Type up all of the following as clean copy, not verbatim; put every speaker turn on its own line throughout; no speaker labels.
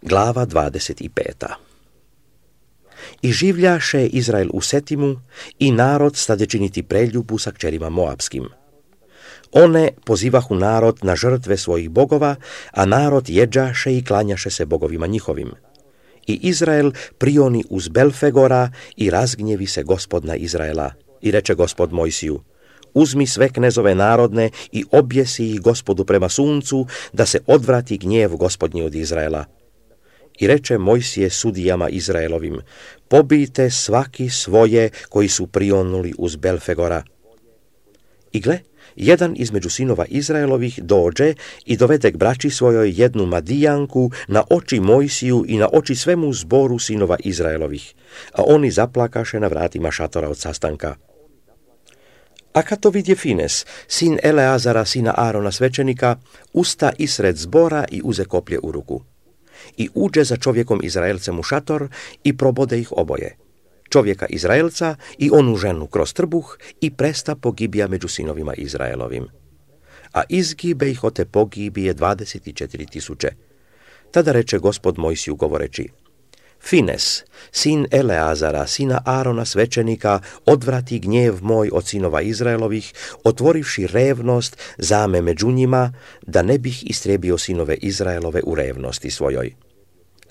Glava 25. I življaše Izrael u Setimu i narod stade činiti preljubu sa kćerima Moabskim. One pozivahu narod na žrtve svojih bogova, a narod jeđaše i klanjaše se bogovima njihovim. I Izrael prioni uz Belfegora i razgnjevi se Gospod na Izraela. I reče Gospod Mojsiju: uzmi sve knezove narodne i objesi ih Gospodu prema suncu, da se odvrati gnjev Gospodnji od Izraela. I reče Mojsije sudijama Izraelovim: pobijte svaki svoje koji su prionuli uz Belfegora. I gle, jedan između sinova Izraelovih dođe i dovede k braći svojoj jednu Madijanku na oči Mojsiju i na oči svemu zboru sinova Izraelovih, a oni zaplakaše na vratima šatora od sastanka. A kad to vidje Fines, sin Eleazara, sina Arona svećenika, usta isred zbora i uze koplje u ruku. I uđe za čovjekom Izraelcem u šator i probode ih oboje, čovjeka Izraelca i onu ženu kroz trbuh, i presta pogibija među sinovima Izraelovim. A izgibe ih od te pogibije 24.000. Tada reče Gospod Mojsiju govoreći: Fines, sin Eleazara, sina Arona svećenika, odvrati gnjev moj od sinova Izraelovih, otvorivši revnost zame među njima, da ne bih istrijebio sinove Izraelove u revnosti svojoj.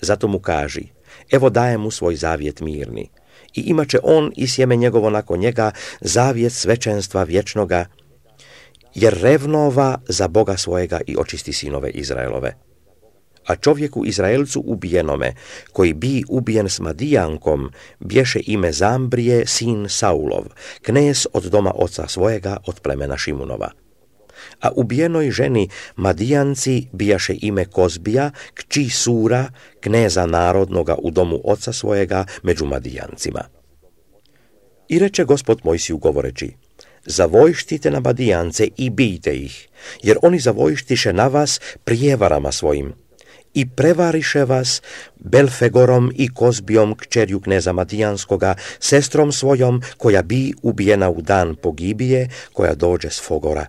Zato mu kaži: evo dajem mu svoj zavjet mirni, i imaće on i sjeme njegovo nakon njega zavjet svećenstva vječnoga, jer revnova za Boga svojega i očisti sinove Izraelove. A čovjeku Izraelcu ubijenome, koji bi ubijen s Madijankom, bješe ime Zambrije, sin Saulov, knez od doma oca svojega, od plemena Šimunova. A ubijenoj ženi Madijanci bijaše ime Kozbija, kći Sura, kneza narodnoga u domu oca svojega među Madijancima. I reče Gospod Mojsiju govoreći: zavojštite na Madijance i bijte ih, jer oni zavojštiše na vas prijevarama svojim, i prevariše vas Belfegorom i Kozbijom, kćerju kneza Madijanskoga, sestrom svojom, koja bi ubijena u dan pogibije, koja dođe s Fogora.